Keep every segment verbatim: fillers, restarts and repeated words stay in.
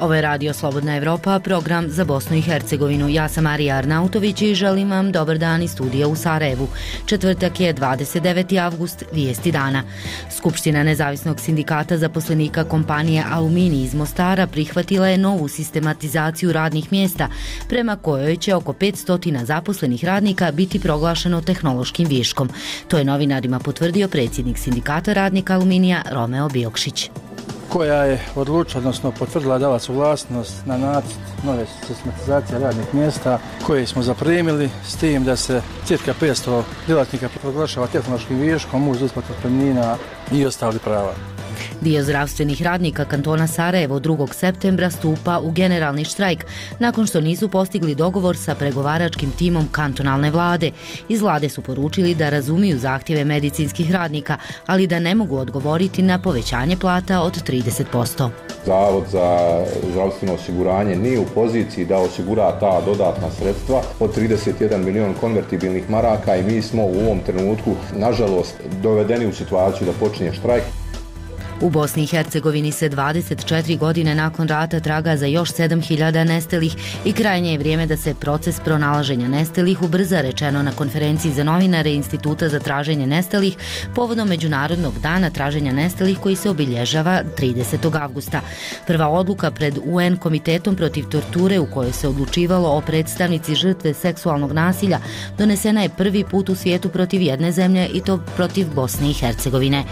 Ovo je Radio Slobodna Evropa, program za Bosnu i Hercegovinu. Ja sam Marija Arnautović i želim vam dobar dan iz studija u Sarajevu. Četvrtak je dvadeset deveti avgust, vijesti dana. Skupština Nezavisnog sindikata zaposlenika kompanije Aluminij iz Mostara prihvatila je novu sistematizaciju radnih mjesta, prema kojoj će oko petsto zaposlenih radnika biti proglašeno tehnološkim viškom. To je novinarima potvrdio predsjednik sindikata radnika Aluminija Romeo Biokšić, koja je odlučila, odnosno potvrdila, dala suglasnost na nacrt nove sistematizacije radnih mjesta koje smo zaprimili, s tim da se cirka petsto djelatnika proglašava tehnološkim viškom uz isplatu otpremnina i ostali prava. Dio zdravstvenih radnika kantona Sarajevo drugog septembra stupa u generalni štrajk nakon što nisu postigli dogovor sa pregovaračkim timom kantonalne vlade. Iz vlade su poručili da razumiju zahtjeve medicinskih radnika, ali da ne mogu odgovoriti na povećanje plata od trideset posto. Zavod za zdravstveno osiguranje nije u poziciji da osigura ta dodatna sredstva od trideset jedan milion konvertibilnih maraka i mi smo u ovom trenutku, nažalost, dovedeni u situaciju da počinje štrajk. U Bosni i Hercegovini se dvadeset četiri godine nakon rata traga za još sedam hiljada nestalih i krajnje je vrijeme da se proces pronalaženja nestalih ubrza, rečeno na konferenciji za novinare Instituta za traženje nestalih povodom Međunarodnog dana traženja nestalih koji se obilježava tridesetog avgusta. Prva odluka pred U N komitetom protiv torture u kojoj se odlučivalo o predstavnici žrtve seksualnog nasilja donesena je prvi put u svijetu protiv jedne zemlje, i to protiv Bosne i Hercegovine.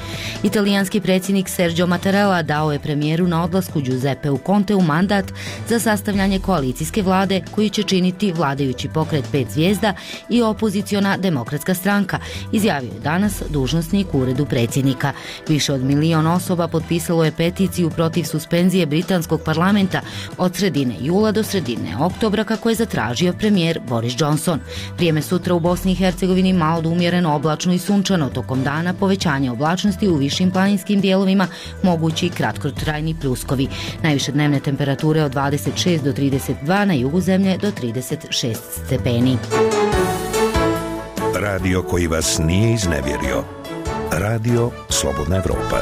Italijanski predsjednik Sergio Mattarella dao je premijeru na odlasku Giuseppeu Conteu mandat za sastavljanje koalicijske vlade koju će činiti vladajući pokret pet zvijezda i opoziciona demokratska stranka, izjavio je danas dužnosnik u uredu predsjednika. Više od milion osoba potpisalo je peticiju protiv suspenzije britanskog parlamenta od sredine jula do sredine oktobra, kako je zatražio premijer Boris Johnson. Vrijeme sutra u Bosni i Hercegovini malo do umjereno oblačno i sunčano, tokom dana povećanje oblačnosti u višim planinskim dijelovima, mogući kratkotrajni pljuskovi. Najviše dnevne temperature od dvadeset šest do trideset dva, na jugu zemlje do trideset šest stepeni. Radio koji vas nije iznevjerio. Radio Slobodna Evropa.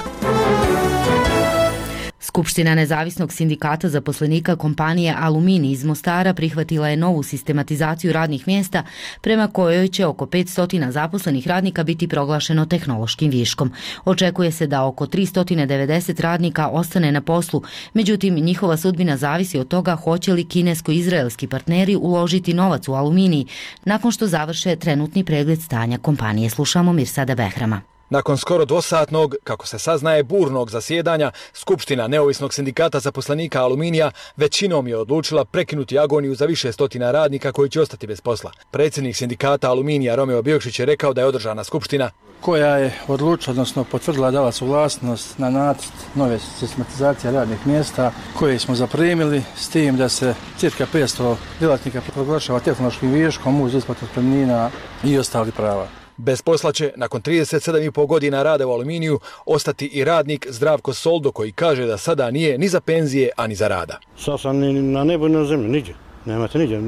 Skupština Nezavisnog sindikata zaposlenika kompanije Aluminij iz Mostara prihvatila je novu sistematizaciju radnih mjesta, prema kojoj će oko petsto zaposlenih radnika biti proglašeno tehnološkim viškom. Očekuje se da oko tristo devedeset radnika ostane na poslu, međutim njihova sudbina zavisi od toga hoće li kinesko-izraelski partneri uložiti novac u Aluminij nakon što završe trenutni pregled stanja kompanije. Slušamo Mirsada Behrama. Nakon skoro dvosatnog, kako se saznaje, burnog zasjedanja, Skupština Neovisnog sindikata zaposlenika Aluminija većinom je odlučila prekinuti agoniju za više stotina radnika koji će ostati bez posla. Predsjednik sindikata Aluminija Romeo Biokšić je rekao da je održana skupština koja je odlučila, odnosno potvrdila, dala suglasnost na nacrt nove sistematizacije radnih mjesta koje smo zaprimili, s tim da se cirka petsto djelatnika proglašava tehnološkim viškom uz isplatu otpremnina i ostali prava. Bez posla će, nakon trideset sedam i pol godina rada u Aluminiju, ostati i radnik Zdravko Soldo, koji kaže da sada nije ni za penzije, ani za rada. Sad sam ni na nebu, ni na zemlji, niđe. Nemate niđe.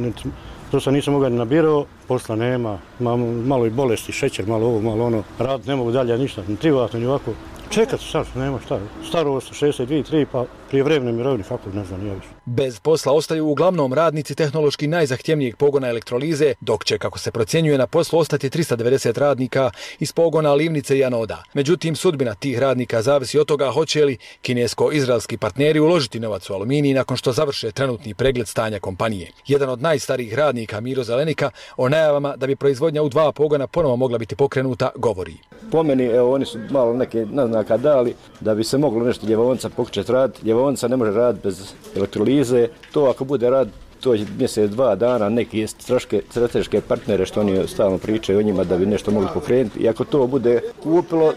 To sam nisam mogao ni na biro, posla nema, malo i bolesti, šećer, malo ovo, malo ono. Rad ne mogu dalje ništa, ni privatno, ni ovako. Čekat sad, nema šta. Starost šezdeset dvije, tri, pa prijevremene mirovine, kako ne znam, nije više. Bez posla ostaju uglavnom radnici tehnološki najzahtjevnijeg pogona elektrolize, dok će, kako se procjenjuje, na poslu ostati tristo devedeset radnika iz pogona livnice i anoda. Međutim, sudbina tih radnika zavisi od toga hoće li kinesko-izraelski partneri uložiti novac u Aluminij nakon što završe trenutni pregled stanja kompanije. Jedan od najstarijih radnika, Miro Zelenika, o najavama da bi proizvodnja u dva pogona ponovo mogla biti pokrenuta, govori. Po meni, evo, oni su malo neke naznaka dali da bi se moglo nešto Ljevonca pokušati raditi. Ljevonca ne može raditi bez elektrolize. To ako bude rad, to je mjesec, dva dana, neki strateške partnere što oni stalno pričaju o njima da bi nešto mogli pokrenuti. I ako to bude kupilo,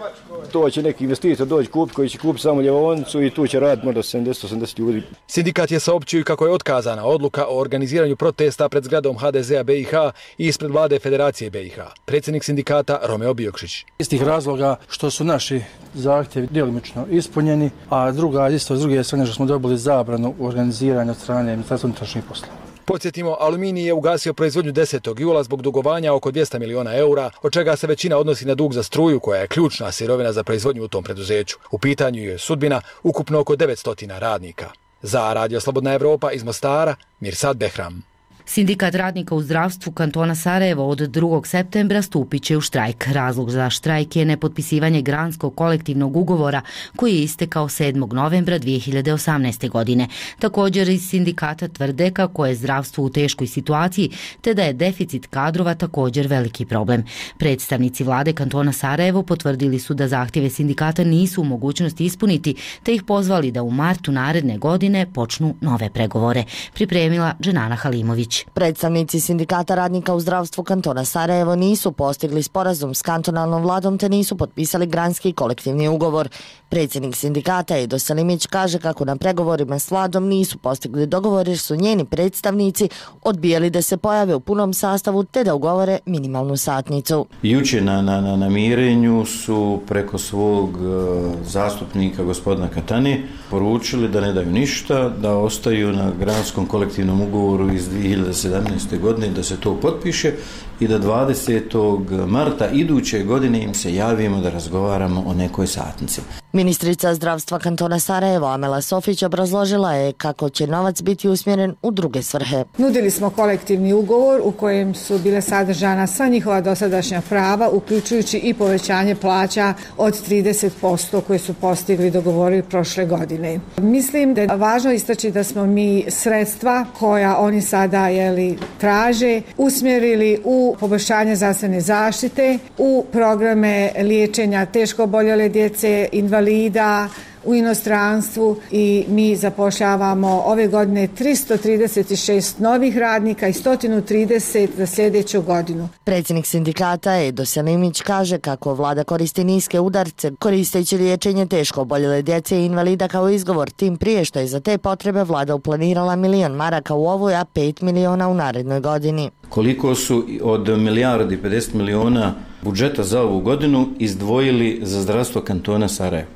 to će neki investitor doći kupiti koji će kupiti samo Ljevoncu i tu će raditi možda sedamdeset osamdeset ljudi. Sindikat je saopćio kako je otkazana odluka o organiziranju protesta pred zgradom ha de zea be i ha i ispred vlade Federacije be i ha. Predsjednik sindikata Romeo Biokšić. Iz tih razloga što su naši zahtjevi djelomično ispunjeni, a druga, isto s druge strane što smo dobili zabranu organiziranja od strane Ministarstva unutrašnjih poslova. Podsjetimo, Aluminij je ugasio proizvodnju desetog jula zbog dugovanja oko dvjesto miliona eura, od čega se većina odnosi na dug za struju, koja je ključna sirovina za proizvodnju u tom preduzeću. U pitanju je sudbina ukupno oko devetsto radnika. Za Radio Slobodna Evropa iz Mostara, Mirsad Behram. Sindikat radnika u zdravstvu kantona Sarajevo od drugog septembra stupit će u štrajk. Razlog za štrajk je nepotpisivanje granskog kolektivnog ugovora koji je istekao sedmog novembra dvije hiljade osamnaeste. godine. Također iz sindikata tvrde kako je zdravstvo u teškoj situaciji te da je deficit kadrova također veliki problem. Predstavnici vlade kantona Sarajevo potvrdili su da zahtjeve sindikata nisu u mogućnosti ispuniti te ih pozvali da u martu naredne godine počnu nove pregovore. Pripremila Dženana Halimović. Predstavnici sindikata radnika u zdravstvu kantona Sarajevo nisu postigli sporazum s kantonalnom vladom te nisu potpisali granski kolektivni ugovor. Predsjednik sindikata Edo Selimić kaže kako na pregovorima s vladom nisu postigli dogovor jer su njeni predstavnici odbijali da se pojave u punom sastavu te da ugovore minimalnu satnicu. Juče na, na, na namirenju su preko svog uh, zastupnika gospodina Katani poručili da ne daju ništa, da ostaju na granskom kolektivnom ugovoru iz dvije hiljade sedamnaeste. godine, da se to potpiše i da dvadesetog marta iduće godine im se javimo da razgovaramo o nekoj satnici. Ministrica zdravstva kantona Sarajevo Amela Sofić obrazložila je kako će novac biti usmjeren u druge svrhe. Nudili smo kolektivni ugovor u kojem su bile sadržana sva njihova dosadašnja prava, uključujući i povećanje plaća od trideset posto koje su postigli dogovorili prošle godine. Mislim da je važno istaći da smo mi sredstva koja oni sada jeli, traže usmjerili u poboljšanje zdravstvene zaštite, u programe liječenja teško oboljele djece, invalida u inostranstvu i mi zapošljavamo ove godine tristo trideset šest novih radnika i sto trideset za sljedeću godinu. Predsjednik sindikata Edo Selimić kaže kako vlada koristi niske udarce koristeći liječenje teško oboljele djece i invalida kao izgovor, tim prije što je za te potrebe vlada uplanirala milion maraka u ovoj, a pet miliona u narednoj godini. Koliko su od milijardi pedeset miliona budžeta za ovu godinu izdvojili za zdravstvo kantona Sarajevo?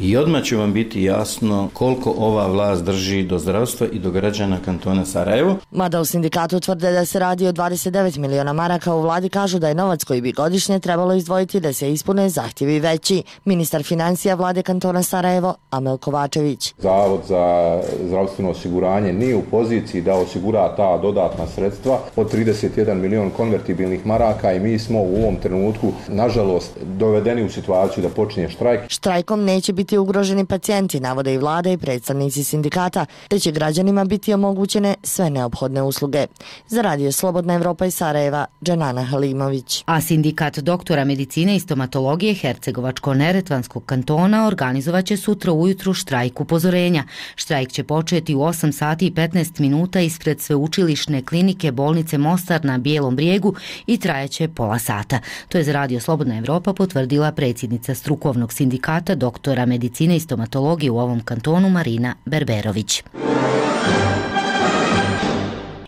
I odmah će vam biti jasno koliko ova vlast drži do zdravstva i do građana kantona Sarajevo. Mada u sindikatu tvrde da se radi o dvadeset devet miliona maraka, u vladi kažu da je novac koji bi godišnje trebalo izdvojiti da se ispune zahtjevi veći. Ministar financija vlade kantona Sarajevo Amel Kovačević. Zavod za zdravstveno osiguranje nije u poziciji da osigura ta dodatna sredstva od trideset jedan milion konvertibilnih maraka i mi smo u ovom trenutku, nažalost, dovedeni u situaciju da počinje štrajk. Štrajkom neće biti ugroženi pacijenti, navode i vlada i predstavnici sindikata, te će građanima biti omogućene sve neophodne usluge. Za Radio Slobodna Evropa iz Sarajeva, Dženana Halimović. A sindikat doktora medicine i stomatologije Hercegovačko-neretvanskog kantona organizovaće sutra ujutru štrajk upozorenja. Štrajk će početi u osam sati i petnaest minuta ispred sveučilišne klinike bolnice Mostar na Bijelom brijegu i trajaće pola sata. To je za Radio Slobodna Evropa potvrdila predsjednica strukovnog sindikata doktora medicine i stomatologije u ovom kantonu Marina Berberović.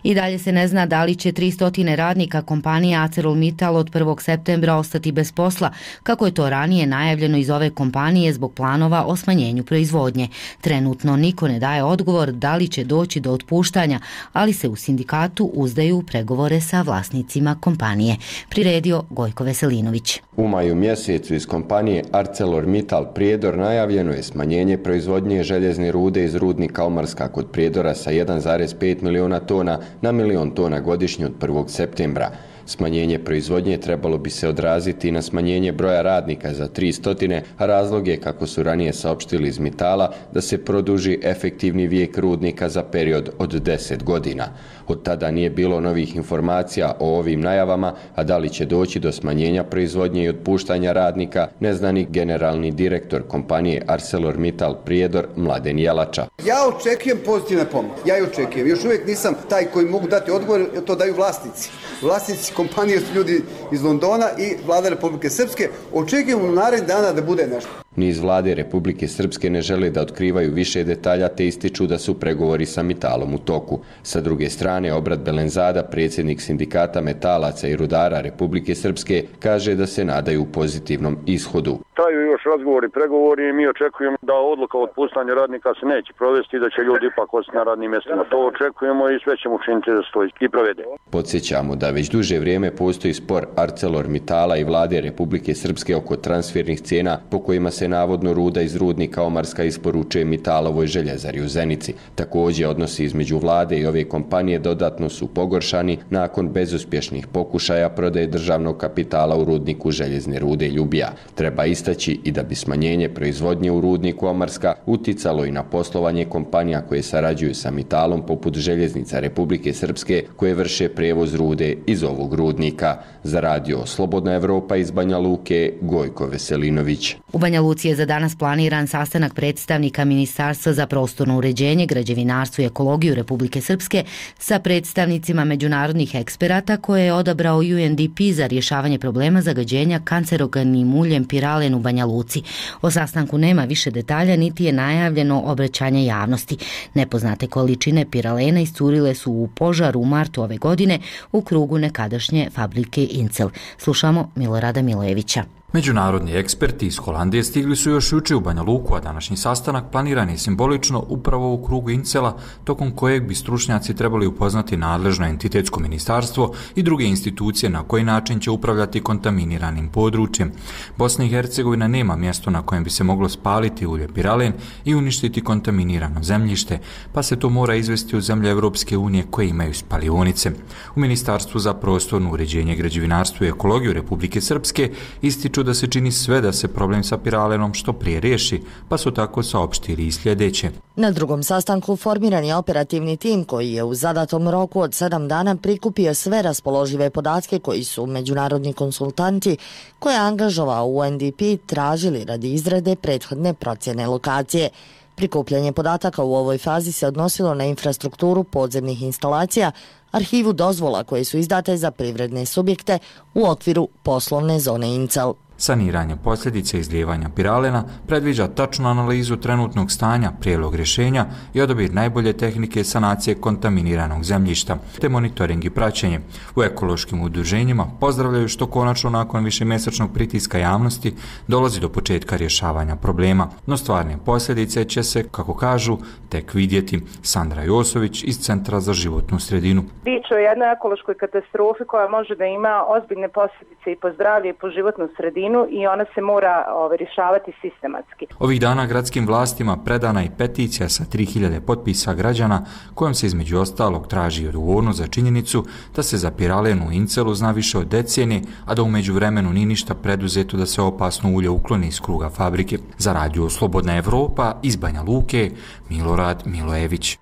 I dalje se ne zna da li će tristo radnika kompanije ArcelorMittal od prvog septembra ostati bez posla, kako je to ranije najavljeno iz ove kompanije zbog planova o smanjenju proizvodnje. Trenutno niko ne daje odgovor da li će doći do otpuštanja, ali se u sindikatu uzdaju u pregovore sa vlasnicima kompanije. Priredio Gojko Veselinović. U maju mjesecu iz kompanije ArcelorMittal Prijedor najavljeno je smanjenje proizvodnje željezne rude iz rudnika Omarska kod Prijedora sa jedan zarez pet miliona tona na milion tona godišnje od prvog septembra. Smanjenje proizvodnje trebalo bi se odraziti na smanjenje broja radnika za tristo, a razlog je, kako su ranije saopštili iz Mitala, da se produži efektivni vijek rudnika za period od deset godina. Od tada nije bilo novih informacija o ovim najavama, a da li će doći do smanjenja proizvodnje i otpuštanja radnika, ne zna ni generalni direktor kompanije ArcelorMittal Prijedor Mladen Jelača. Ja očekujem pozitivne pomake. Ja i očekujem. Još uvijek nisam taj koji mogu dati odgovor, to daju vlasnici. Vlasnici kompanije su ljudi iz Londona i vlada Republike Srpske. Očekujem u narednih dana da bude nešto. Ni iz vlade Republike Srpske ne žele da otkrivaju više detalja te ističu da su pregovori sa Mitalom u toku. Sa druge strane, Obrat Belenzada, predsjednik sindikata metalaca i rudara Republike Srpske, kaže da se nadaju pozitivnom ishodu. traju još razgovori, pregovori i mi očekujemo da odluka o otpuštanju radnika se neće provesti i da će ljudi ipak ostati na radnim mjestima. To očekujemo i sve ćemo učiniti da se to i provede. Podsjećamo da već duže vrijeme postoji spor ArcelorMittala i vlade Republike Srpske oko transfernih cijena po kojima se navodno ruda iz rudnika Omarska isporučuje Mittalovoj željezari u Zenici. Također odnosi između vlade i ove kompanije dodatno su pogoršani nakon bezuspješnih pokušaja prodaje državnog kapitala u rudniku željezne rude Ljubija. Treba istaći i da bi smanjenje proizvodnje u rudniku Omarska uticalo i na poslovanje kompanija koje sarađuju sa Mittalom poput Željeznica Republike Srpske koje vrše prijevoz rude iz ovog rudnika. Za radio Slobodna Evropa iz Banja Luke, Gojko Veselinović. U Banja Luci je za danas planiran sastanak predstavnika Ministarstva za prostorno uređenje, građevinarstvo i ekologiju Republike Srpske sa predstavnicima međunarodnih eksperata koje je odabrao U N D P za rješavanje problema zagađenja kancerogenim uljem piralen u Banja Luci. O sastanku nema više detalja niti je najavljeno obraćanje javnosti. Nepoznate količine piralena iscurile su u požaru u martu ove godine u krugu nekadašnje fabrike Incel. Slušamo Milorada Milojevića. Međunarodni eksperti iz Holandije stigli su još juče u Banja Luku, a današnji sastanak planiran je simbolično upravo u krugu Incela, tokom kojeg bi stručnjaci trebali upoznati nadležno entitetsko ministarstvo i druge institucije na koji način će upravljati kontaminiranim područjem. Bosna i Hercegovina nema mjesto na kojem bi se moglo spaliti ulje piralen i uništiti kontaminirano zemljište, pa se to mora izvesti u zemlje Evropske unije koje imaju spalionice. U Ministarstvu za prostorno uređenje, građevinarstvo i ekologiju Republike Srpske ističu da se čini sve da se problem sa piralenom što prije riješi, pa su tako saopštili i sljedeće. Na drugom sastanku formiran je operativni tim koji je u zadatom roku od sedam dana prikupio sve raspoložive podatke koji su međunarodni konsultanti koje je angažovao U N D P tražili radi izrade prethodne procjene lokacije. Prikupljanje podataka u ovoj fazi se odnosilo na infrastrukturu podzemnih instalacija, arhivu dozvola koje su izdate za privredne subjekte u okviru poslovne zone Incel. Saniranje posljedice izlijevanja piralena predviđa tačnu analizu trenutnog stanja, prijedlog rješenja i odabir najbolje tehnike sanacije kontaminiranog zemljišta, te monitoring i praćenje. U ekološkim udruženjima pozdravljaju što konačno nakon višemjesečnog pritiska javnosti dolazi do početka rješavanja problema, no stvarne posljedice će se, kako kažu, tek vidjeti. Sandra Josović iz Centra za životnu sredinu. Riječ je o jednoj ekološkoj katastrofi koja može da ima ozbiljne posljedice i po zdravlje i po životnu sredinu i ona se mora ove, rješavati sistematski. Ovih dana gradskim vlastima predana i peticija sa tri hiljade potpisa građana kojom se između ostalog traži odgovornost za činjenicu da se za piralen u Incelu zna više od decenije, a da u međuvremenu nije ništa preduzeto da se opasno ulje ukloni iz kruga fabrike. Za radio Slobodna Evropa iz Banja Luke, Milorad Milojević.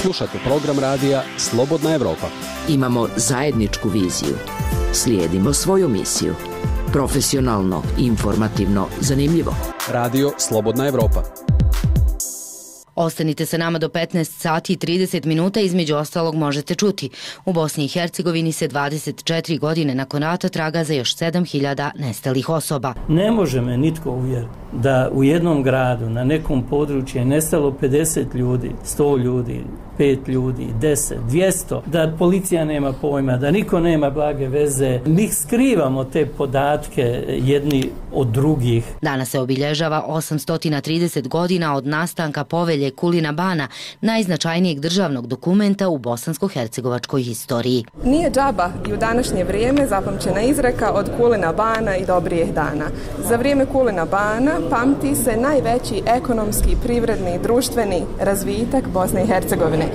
Slušate program radija Slobodna Evropa. Imamo zajedničku viziju. Slijedimo svoju misiju. Profesionalno, informativno, zanimljivo. Radio Slobodna Evropa. Ostanite sa nama do petnaest sati i trideset minuta, između ostalog možete čuti. U Bosni i Hercegovini se dvadeset četiri godine nakon rata traga za još sedam hiljada nestalih osoba. Ne može me nitko uvjeriti da u jednom gradu, na nekom području je nestalo pedeset ljudi, sto ljudi, pet ljudi, deset, dvjesto, da policija nema pojma, da niko nema blage veze. Mi skrivamo te podatke jedni od drugih. Danas se obilježava osamsto trideset godina od nastanka povelje Kulina Bana, najznačajnijeg državnog dokumenta u bosansko-hercegovačkoj historiji. Nije džaba i u današnje vrijeme zapamćena izreka od Kulina Bana i dobrijeh dana. Za vrijeme Kulina Bana pamti se najveći ekonomski, privredni i društveni razvitak Bosne i Hercegovine.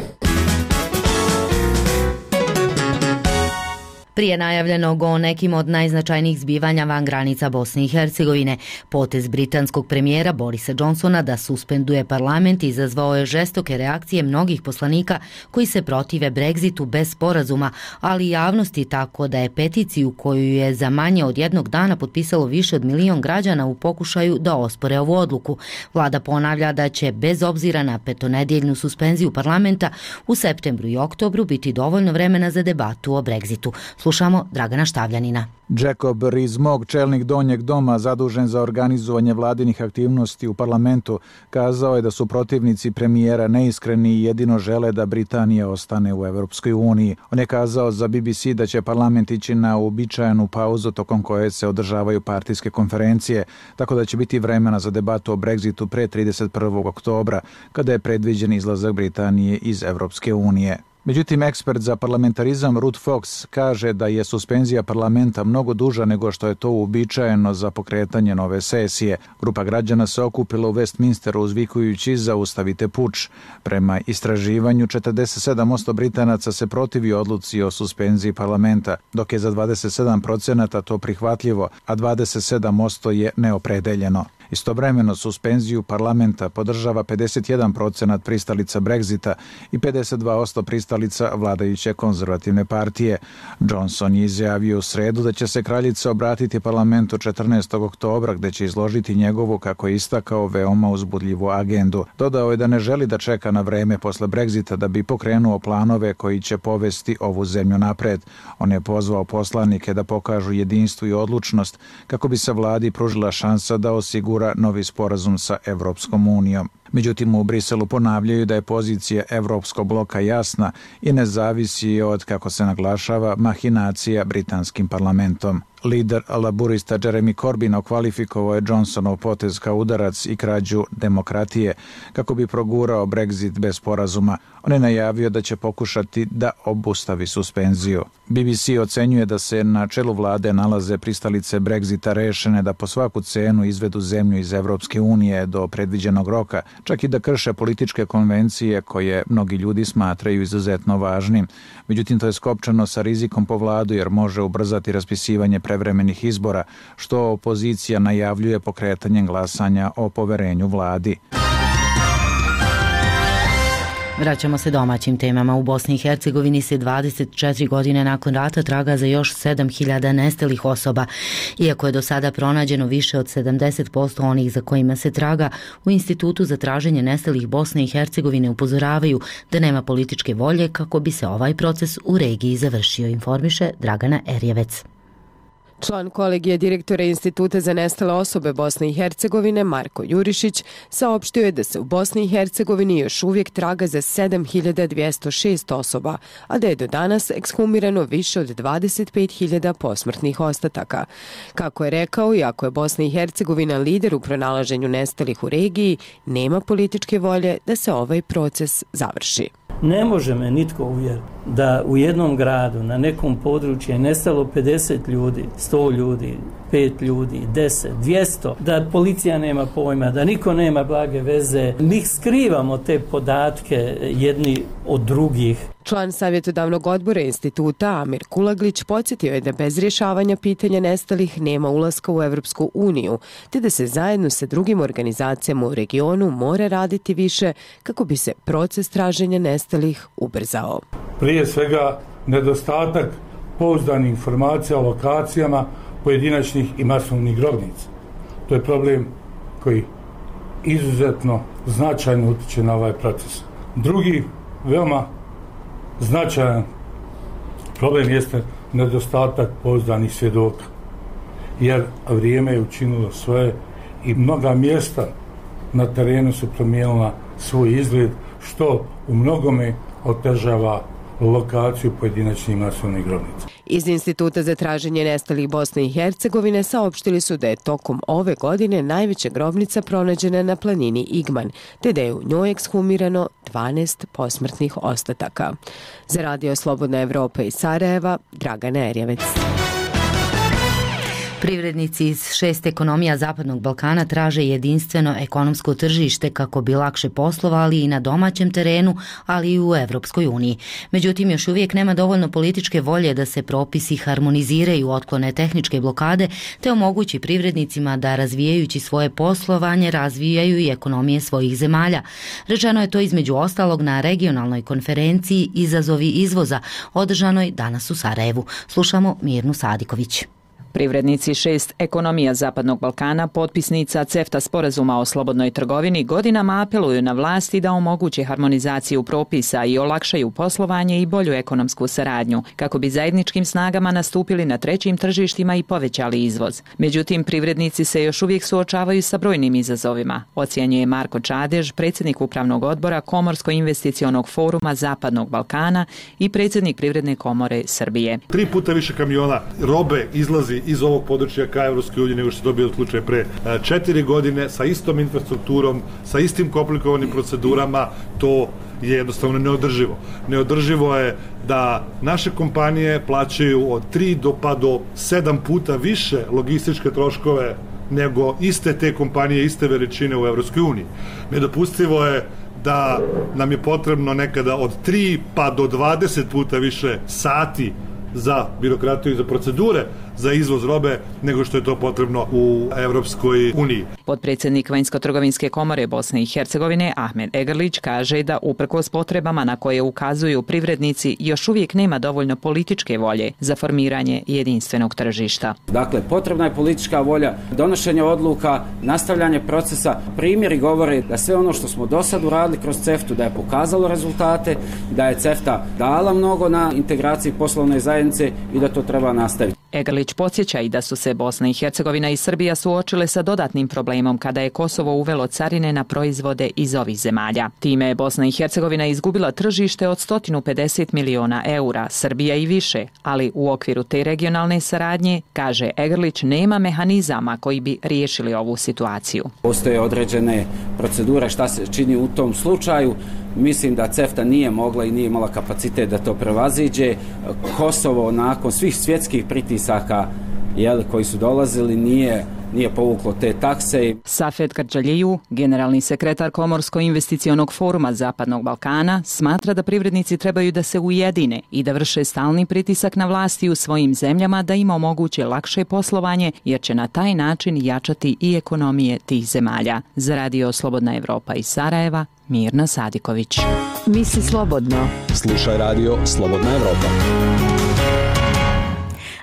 Prije najavljenog o nekim od najznačajnijih zbivanja van granica Bosne i Hercegovine, potez britanskog premijera Borisa Johnsona da suspenduje parlament izazvao je žestoke reakcije mnogih poslanika koji se protive Brexitu bez sporazuma, ali i javnosti, tako da je peticiju koju je za manje od jednog dana potpisalo više od milion građana u pokušaju da ospore ovu odluku. Vlada ponavlja da će bez obzira na petonedjeljnu suspenziju parlamenta u septembru i oktobru biti dovoljno vremena za debatu o Brexitu. Slušamo Dragana Štavljanina. Jacob Rees-Mogg, čelnik Donjeg doma zadužen za organizovanje vladinih aktivnosti u parlamentu, kazao je da su protivnici premijera neiskreni i jedino žele da Britanija ostane u Evropskoj uniji. On je kazao za B B C da će parlament ići na uobičajenu pauzu tokom koje se održavaju partijske konferencije, tako da će biti vremena za debatu o Brexitu pre trideset prvog oktobra, kada je predviđen izlazak Britanije iz Evropske unije. Međutim, ekspert za parlamentarizam Ruth Fox kaže da je suspenzija parlamenta mnogo duža nego što je to uobičajeno za pokretanje nove sesije. Grupa građana se okupila u Westminsteru uzvikujući zaustavite puč. Prema istraživanju, četrdeset sedam posto Britanaca se protivi odluci o suspenziji parlamenta, dok je za dvadeset sedam procenata to prihvatljivo, a dvadeset sedam posto je neopredeljeno. Istovremeno suspenziju parlamenta podržava pedeset jedan procenat pristalica Brexita i pedeset dva posto pristalica vladajuće konzervativne partije. Johnson je izjavio u sredu da će se kraljica obratiti parlamentu četrnaestog oktobra, gde će izložiti njegovu, kako je istakao, veoma uzbudljivu agendu. Dodao je da ne želi da čeka na vreme posle Brexita da bi pokrenuo planove koji će povesti ovu zemlju napred. On je pozvao poslanike da pokažu jedinstvo i odlučnost kako bi se vladi pružila šansa da osigura novi sporazum sa Evropskom unijom. Međutim, u Briselu ponavljaju da je pozicija Evropskog bloka jasna i ne zavisi od, kako se naglašava, mahinacija britanskim parlamentom. Lider laburista Jeremy Corbyn okvalifikovao je Johnsonov potez kao udarac i krađu demokratije kako bi progurao Brexit bez sporazuma. On je najavio da će pokušati da obustavi suspenziju. B B C ocenjuje da se na čelu vlade nalaze pristalice Brexita rešene da po svaku cenu izvedu zemlju iz Evropske unije do predviđenog roka, čak i da krše političke konvencije koje mnogi ljudi smatraju izuzetno važnim. Međutim, to je skopčano sa rizikom po vladu jer može ubrzati raspisivanje prevremenih izbora, što opozicija najavljuje pokretanjem glasanja o poverenju vladi. Vraćamo se domaćim temama. U Bosni i Hercegovini se dvadeset četiri godine nakon rata traga za još sedam hiljada nestalih osoba. Iako je do sada pronađeno više od sedamdeset posto onih za kojima se traga, u Institutu za traženje nestalih Bosne i Hercegovine upozoravaju da nema političke volje kako bi se ovaj proces u regiji završio, informiše Dragana Erjevec. Član kolegija direktora Instituta za nestale osobe Bosne i Hercegovine Marko Jurišić saopštio je da se u Bosni i Hercegovini još uvijek traga za sedam hiljada dvjesto šest osoba, a da je do danas ekshumirano više od dvadeset pet hiljada posmrtnih ostataka. Kako je rekao, iako je Bosna i Hercegovina lider u pronalaženju nestalih u regiji, nema političke volje da se ovaj proces završi. Ne može me nitko uvjeriti da u jednom gradu, na nekom području je nestalo pedeset ljudi, sto ljudi, pet ljudi, deset, dvjesto, da policija nema pojma, da niko nema blage veze. Mi skrivamo te podatke jedni od drugih. Član savjetodavnog odbora instituta Amir Kulaglić podsjetio je da bez rješavanja pitanja nestalih nema ulaska u Evropsku uniju, te da se zajedno sa drugim organizacijama u regionu mora raditi više kako bi se proces traženja nestalih ubrzao. Prije svega nedostatak pouzdanih informacija o lokacijama pojedinačnih i masovnih grobnica. To je problem koji izuzetno značajno utiče na ovaj proces. Drugi, veoma značajan problem jeste nedostatak pouzdanih svjedoka, jer vrijeme je učinilo svoje i mnoga mjesta na terenu su promijenila svoj izgled, što u mnogome otežava lokaciju pojedinačnih masovnih grobnica. Iz Instituta za traženje nestalih Bosne i Hercegovine saopštili su da je tokom ove godine najveća grobnica pronađena na planini Igman, te da je u njoj ekshumirano dvanaest posmrtnih ostataka. Za Radio Slobodna Evropa iz Sarajeva, Dragana Erjevec. Privrednici iz šest ekonomija Zapadnog Balkana traže jedinstveno ekonomsko tržište kako bi lakše poslovali i na domaćem terenu, ali i u Evropskoj uniji. Međutim, još uvijek nema dovoljno političke volje da se propisi harmoniziraju, otklone tehničke blokade, te omogući privrednicima da razvijajući svoje poslovanje razvijaju i ekonomije svojih zemalja. Rečeno je to između ostalog na regionalnoj konferenciji Izazovi izvoza, održanoj danas u Sarajevu. Slušamo Mirnu Sadiković. Privrednici šest ekonomija Zapadnog Balkana, potpisnica CEFTA sporazuma o slobodnoj trgovini, godinama apeluju na vlasti da omoguće harmonizaciju propisa i olakšaju poslovanje i bolju ekonomsku saradnju, kako bi zajedničkim snagama nastupili na trećim tržištima i povećali izvoz. Međutim, privrednici se još uvijek suočavaju sa brojnim izazovima, ocjenjuje Marko Čadež, predsjednik upravnog odbora Komorsko-investicionog foruma Zapadnog Balkana i predsjednik Privredne komore Srbije. Tri puta više kamiona robe izlazi iz ovog područja ka Evropskoj uniji nego što se dobio slučaj pre četiri godine, sa istom infrastrukturom, sa istim komplikovanim procedurama. To je jednostavno neodrživo. Neodrživo je da naše kompanije plaćaju od tri do pa do sedam puta više logističke troškove nego iste te kompanije, iste veličine u Evropskoj uniji. Nedopustivo je da nam je potrebno nekada od tri pa do dvadeset puta više sati za birokratiju i za procedure za izvoz robe nego što je to potrebno u Evropskoj uniji. Potpredsjednik Vanjsko-trgovinske komore Bosne i Hercegovine Ahmed Egrlić kaže da uprkos potrebama na koje ukazuju privrednici još uvijek nema dovoljno političke volje za formiranje jedinstvenog tržišta. Dakle, potrebna je politička volja, donošenje odluka, nastavljanje procesa. Primjeri govore da sve ono što smo do sad uradili kroz CEFTA da je pokazalo rezultate, da je CEFTA dala mnogo na integraciji poslovne zajednice i da to treba nastaviti. Egrlić podsjeća i da su se Bosna i Hercegovina i Srbija suočile sa dodatnim problemom kada je Kosovo uvelo carine na proizvode iz ovih zemalja. Time je Bosna i Hercegovina izgubila tržište od sto pedeset miliona eura, Srbija i više, ali u okviru te regionalne saradnje, kaže Egrlić, nema mehanizama koji bi riješili ovu situaciju. Postoje određene procedure šta se čini u tom slučaju. Mislim da CEFTA nije mogla i nije imala kapacitet da to prevaziđe. Kosovo nakon svih svjetskih pritisaka jel, koji su dolazili nije nije povuklo te takse. Safet Kardžaliju, generalni sekretar Komorsko-investicionog foruma Zapadnog Balkana, smatra da privrednici trebaju da se ujedine i da vrše stalni pritisak na vlasti u svojim zemljama da im omoguće lakše poslovanje, jer će na taj način jačati i ekonomije tih zemalja. Za Radio Slobodna Evropa iz Sarajeva, Mirna Sadiković. Misli slobodno. Slušaj Radio Slobodna Evropa.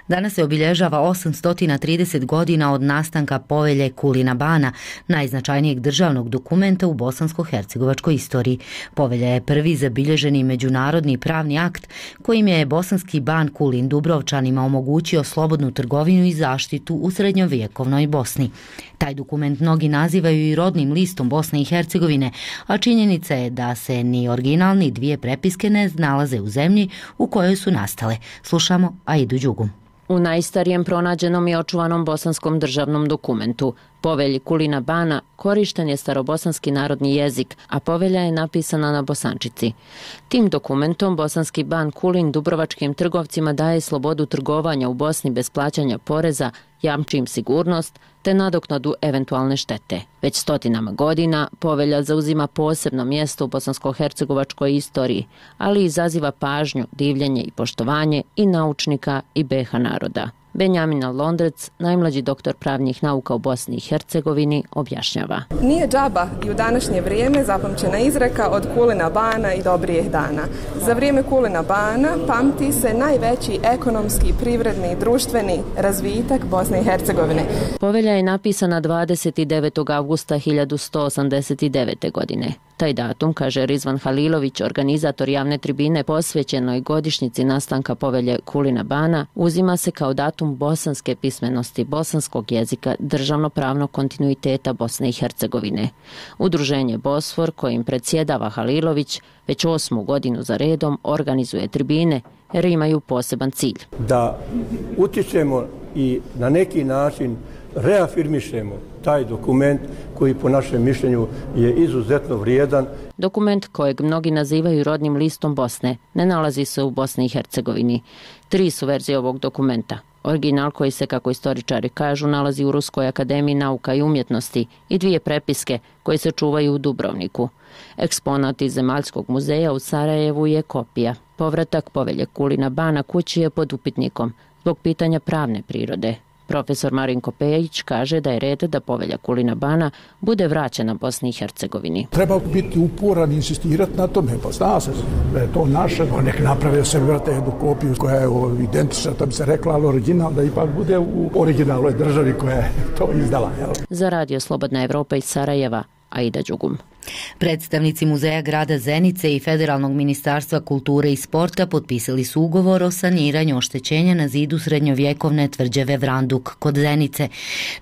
Danas se obilježava osamsto trideset godina od nastanka Povelje Kulina Bana, najznačajnijeg državnog dokumenta u bosansko-hercegovačkoj istoriji. Povelja je prvi zabilježeni međunarodni pravni akt kojim je bosanski ban Kulin Dubrovčanima omogućio slobodnu trgovinu i zaštitu u srednjovjekovnoj Bosni. Taj dokument mnogi nazivaju i rodnim listom Bosne i Hercegovine, a činjenica je da se ni original ni dvije prepiske ne nalaze u zemlji u kojoj su nastale. Slušamo Aidu Đugu. U najstarijem pronađenom i očuvanom bosanskom državnom dokumentu, Povelji Kulina Bana, korišten je starobosanski narodni jezik, a povelja je napisana na bosančici. Tim dokumentom bosanski ban Kulin dubrovačkim trgovcima daje slobodu trgovanja u Bosni bez plaćanja poreza, jamči im sigurnost te nadoknadu eventualne štete. Već stotinama godina povelja zauzima posebno mjesto u bosansko-hercegovačkoj istoriji, ali izaziva pažnju, divljenje i poštovanje i naučnika i B iH naroda. Benjamin Londrec, najmlađi doktor pravnih nauka u Bosni i Hercegovini, objašnjava. Nije džaba i u današnje vrijeme zapamćena izreka od Kulina Bana i dobrijeh dana. Za vrijeme Kulina Bana pamti se najveći ekonomski, privredni i društveni razvitak Bosne i Hercegovine. Povelja je napisana dvadeset devetog avgusta hiljadu sto osamdeset devete. godine. Taj datum, kaže Rizvan Halilović, organizator javne tribine posvećenoj godišnjici nastanka Povelje Kulina Bana, uzima se kao datum bosanske pismenosti, bosanskog jezika, državno-pravnog kontinuiteta Bosne i Hercegovine. Udruženje Bosfor, kojim predsjedava Halilović, već osmu godinu za redom organizuje tribine jer imaju poseban cilj. Da utičemo i na neki način reafirmišemo taj dokument koji po našem mišljenju je izuzetno vrijedan. Dokument kojeg mnogi nazivaju rodnim listom Bosne ne nalazi se u Bosni i Hercegovini. Tri su verzije ovog dokumenta. Original koji se, kako istoričari kažu, nalazi u Ruskoj akademiji nauka i umjetnosti i dvije prepiske koje se čuvaju u Dubrovniku. Eksponat iz Zemaljskog muzeja u Sarajevu je kopija. Povratak Povelje Kulina Bana kući je pod upitnikom zbog pitanja pravne prirode. Profesor Marinko Pejić kaže da je red da povelja Kulina Bana bude vraćena Bosni i Hercegovini. Treba biti uporan i insistirati na tome, pa zna se da je to naše, nek naprave se vrate jednu kopiju koja je identična, to bi se rekla, ali original, da ipak bude u originalnoj državi koja je to izdala. Jel? Za Radio Slobodna Evropa iz Sarajeva, Aida Đugum. Predstavnici Muzeja grada Zenice i Federalnog ministarstva kulture i sporta potpisali su ugovor o saniranju oštećenja na zidu srednjovjekovne tvrđave Vranduk kod Zenice.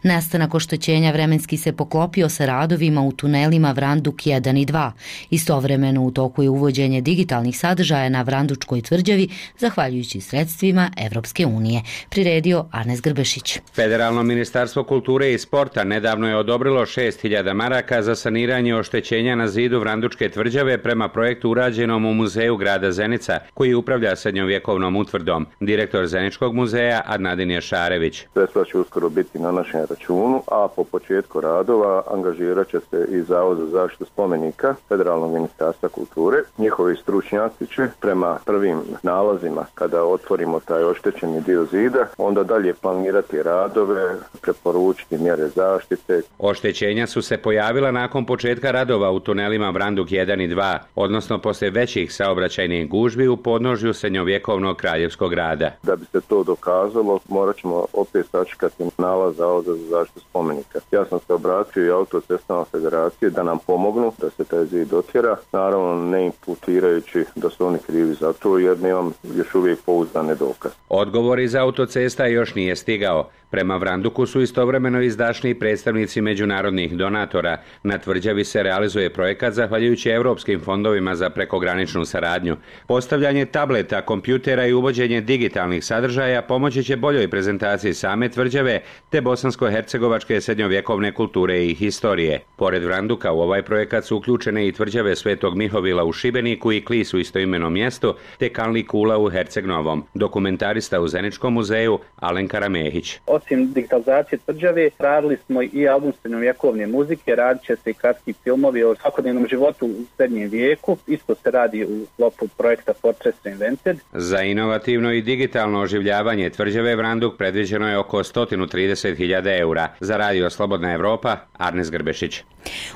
Nastanak oštećenja vremenski se poklopio sa radovima u tunelima Vranduk jedan i dva. Istovremeno u toku je uvođenje digitalnih sadržaja na Vrandučkoj tvrđavi zahvaljujući sredstvima Evropske unije. Priredio Arnes Grbešić. Federalno ministarstvo kulture i sporta nedavno je odobrilo šest hiljada maraka za saniranje oštećenja na zidu Vrandučke tvrđave prema projektu urađenom u Muzeju grada Zenica, koji upravlja srednjovjekovnom utvrdom. Direktor Zeničkog muzeja Adnadin Jašarević. Sredstva će uskoro biti na našem računu, a po početku radova angažirat će se i Zavod za zaštitu spomenika Federalnog ministarstva kulture. Njihovi stručnjaci će prema prvim nalazima, kada otvorimo taj oštećeni dio zida, onda dalje planirati radove, preporučiti mjere zaštite. Oštećenja su se pojavila nakon početka radova u tunelima Vranduk jedan i dva, odnosno poslije većih saobraćajnih gužvi u podnožju srednjovjekovnog kraljevskog grada. Da bi se to dokazalo, morat ćemo opet sačekati nalaz Zavoda za zaštitu spomenika. Ja sam se obratio i Autocestama federacije da nam pomognu da se taj zid otjera, naravno ne imputirajući da su oni krivi za to, jer nemam još uvijek pouzdane dokaze. Odgovor iz Autocesta još nije stigao. Prema Vranduku su istovremeno izdašni predstavnici međunarodnih donatora. Na tvrđavi se realizuje projekat zahvaljujući europskim fondovima za prekograničnu saradnju. Postavljanje tableta, kompjutera i uvođenje digitalnih sadržaja pomoći će boljoj prezentaciji same tvrđave te bosansko-hercegovačke srednjovjekovne kulture i historije. Pored Vranduka u ovaj projekat su uključene i tvrđave Svetog Mihovila u Šibeniku i Klis u istoimenom mjestu te Kanli Kula u Herceg-Novom. Dokumentarista u Zeničkom muzeju Alen Karamehić. Osim digitalizacije tvrđave, radili smo i album srednjovjekovne muzike, radit će se i kratki filmovi o svakodnevnom životu u srednjem vijeku. Isto se radi u sklopu projekta Portraits Reinvented. Za inovativno i digitalno oživljavanje tvrđave Vranduk predviđeno je oko sto trideset hiljada eura. Za Radio Slobodna Evropa, Arnes Grbešić.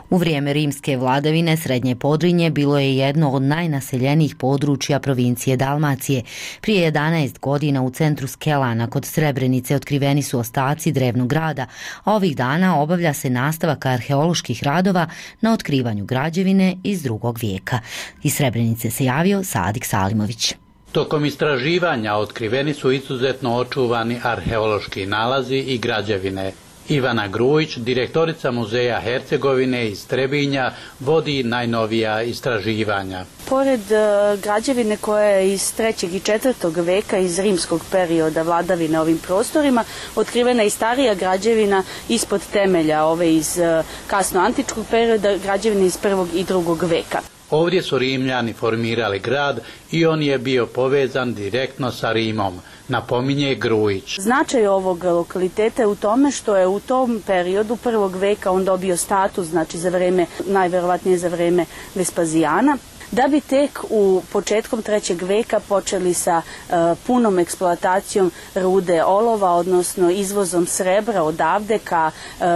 U vrijeme rimske vladavine Srednje Podrinje bilo je jedno od najnaseljenijih područja provincije Dalmacije. Prije jedanaest godina u centru Skelana kod Srebrenice otkriveni su ostaci drevnog grada, a ovih dana obavlja se nastavak arheoloških radova na otkrivanju građevine iz drugog vijeka. Iz Srebrenice se javio Sadik Salimović. Tokom istraživanja otkriveni su izuzetno očuvani arheološki nalazi i građevine. Ivana Grujić, direktorica Muzeja Hercegovine iz Trebinja, vodi najnovija istraživanja. Pored uh, građevine koja je iz trećeg i četvrtog veka iz rimskog perioda vladavine ovim prostorima, otkrivena i starija građevina ispod temelja, ove iz uh, kasno antičkog perioda, građevine iz prvog i drugog veka. Ovdje su Rimljani formirali grad i on je bio povezan direktno sa Rimom, napominje Grujić. Značaj ovog lokaliteta je u tome što je u tom periodu prvog veka on dobio status, znači za vreme, najverovatnije za vreme Vespazijana, da bi tek u početkom trećeg veka počeli sa uh, punom eksploatacijom rude olova, odnosno izvozom srebra odavde ka uh, uh,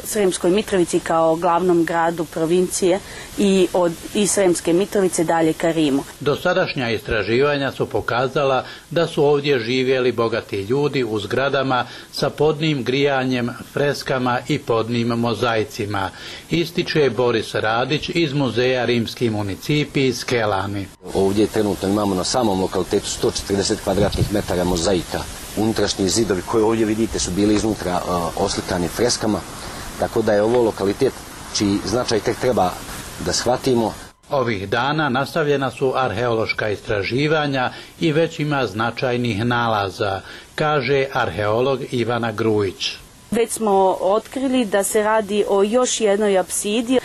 Sremskoj Mitrovici kao glavnom gradu provincije i od i Sremske Mitrovice dalje ka Rimu. Dosadašnja istraživanja su pokazala da su ovdje živjeli bogati ljudi u zgradama sa podnim grijanjem, freskama i podnim mozaicima, ističe Boris Radić iz Muzeja rimski municipij iz Skelani. Ovdje trenutno imamo na samom lokalitetu sto četrdeset kvadratnih metara mozaika. Unutrašnji zidovi koje ovdje vidite su bili iznutra uh, oslikani freskama, tako da je ovo lokalitet čiji značaj tek treba da shvatimo. Ovih dana nastavljena su arheološka istraživanja i već ima značajnih nalaza, kaže arheolog Ivana Grujić. Već smo otkrili da se radi o još jednoj apsidi.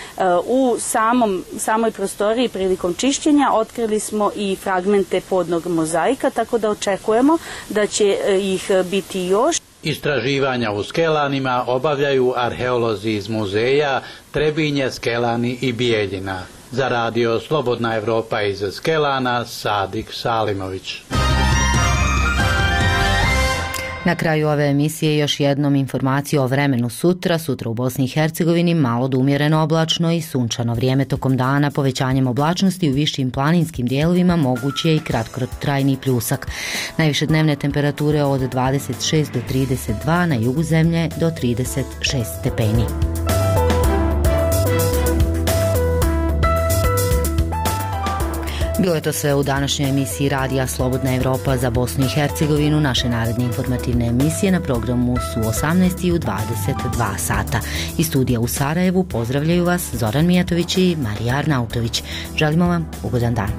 U samom, samoj prostoriji prilikom čišćenja otkrili smo i fragmente podnog mozaika, tako da očekujemo da će ih biti još. Istraživanja u Skelanima obavljaju arheolozi iz muzeja Trebinje, Skelani i Bijeljina. Za Radio Slobodna Evropa iz Skelana, Sadik Salimović. Na kraju ove emisije još jednom informacija o vremenu sutra. Sutra u Bosni i Hercegovini malo do umjereno oblačno i sunčano vrijeme tokom dana. Povećanjem oblačnosti u višim planinskim dijelovima moguće je i kratkotrajni pljusak. Najviše dnevne temperature od dvadeset šest do trideset dva, na jugu zemlje do trideset šest stepeni. Bilo je to sve u današnjoj emisiji Radija Slobodna Evropa za Bosnu i Hercegovinu. Naše naredne informativne emisije na programu su osamnaest i u dvadeset dva sata. Iz studija u Sarajevu pozdravljaju vas Zoran Mijatović i Marija Arnautović. Želimo vam ugodan dan.